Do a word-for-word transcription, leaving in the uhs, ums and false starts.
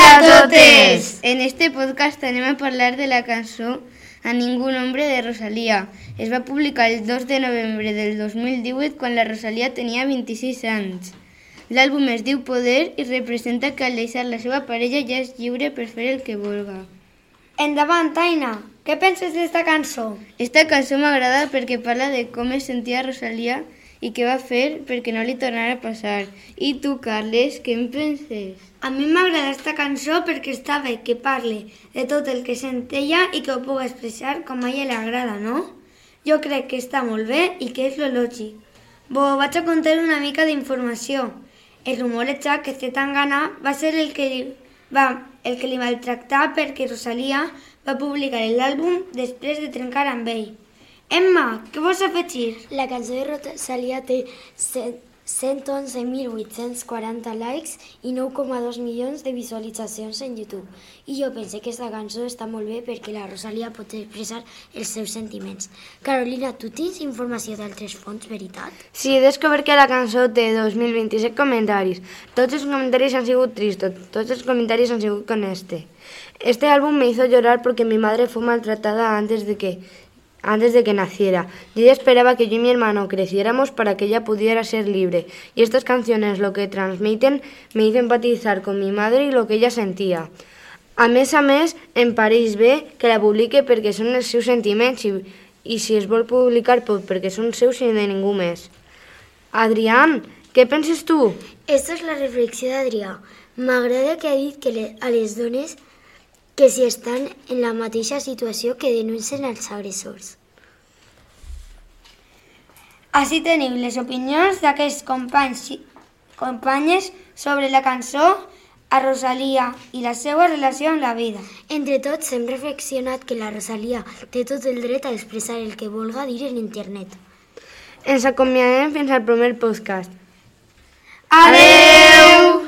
a totes! En este podcast anem a parlar de la cançó A ningú nombre de Rosalía. Es va publicar el dos de novembre del dos mil divuit quan la Rosalía tenia vint-i-sis anys. L'àlbum es diu Poder i representa que al deixar la seva parella ja és lliure per fer el que vulga. Endavant, Aina! Què penses d'esta cançó? Esta cançó m'agrada perquè parla de com es sentia Rosalía i què va fer perquè no li tornara a passar. I tu, Carles, què en penses? A mi m'agrada esta cançó perquè està bé que parli de tot el que sent ella i que ho pugui expressar com a ella li agrada, no? Jo crec que està molt bé i que és lo lògic. Bo, vaig a contar una mica d'informació. El rumorejat que Zetangana va ser el que li va, el que li maltractar perquè Rosalía va publicar l'àlbum després de trencar amb ell. Emma, què vols afegir? La cançó de Rosalía té cent onze mil vuit-cents quaranta likes i nou coma dos milions de visualitzacions en YouTube. I jo pense que aquesta cançó està molt bé perquè la Rosalía pot expressar els seus sentiments. Carolina, tu tens informació d'altres fonts, veritat? Sí, he descobert que la cançó té dos mil vint-i-set comentaris. Tots els comentaris han sigut tristos, tots els comentaris han sigut con este. Este álbum me hizo llorar porque mi madre fue maltratada antes de que... antes de que naciera, y ella esperaba que yo y mi hermano creciéramos para que ella pudiera ser libre, y estas canciones lo que transmiten me hizo empatizar con mi madre y lo que ella sentía. A més a més, em pareix bé que la publique perquè són els seus sentiments i, i si es vol publicar pot perquè són seus i de ningú més. Adrián, què penses tu? Esta és la reflexió d'Adrià. M'agrada que ha dit que le, a les dones que si estan en la mateixa situació que denuncien els agressors. Així teniu les opinions d'aquests companys i companyes sobre la cançó a Rosalía i la seva relació amb la vida. Entre tots hem reflexionat que la Rosalía té tot el dret a expressar el que vulga dir en internet. Ens acomiadem fins al primer podcast. Adeu!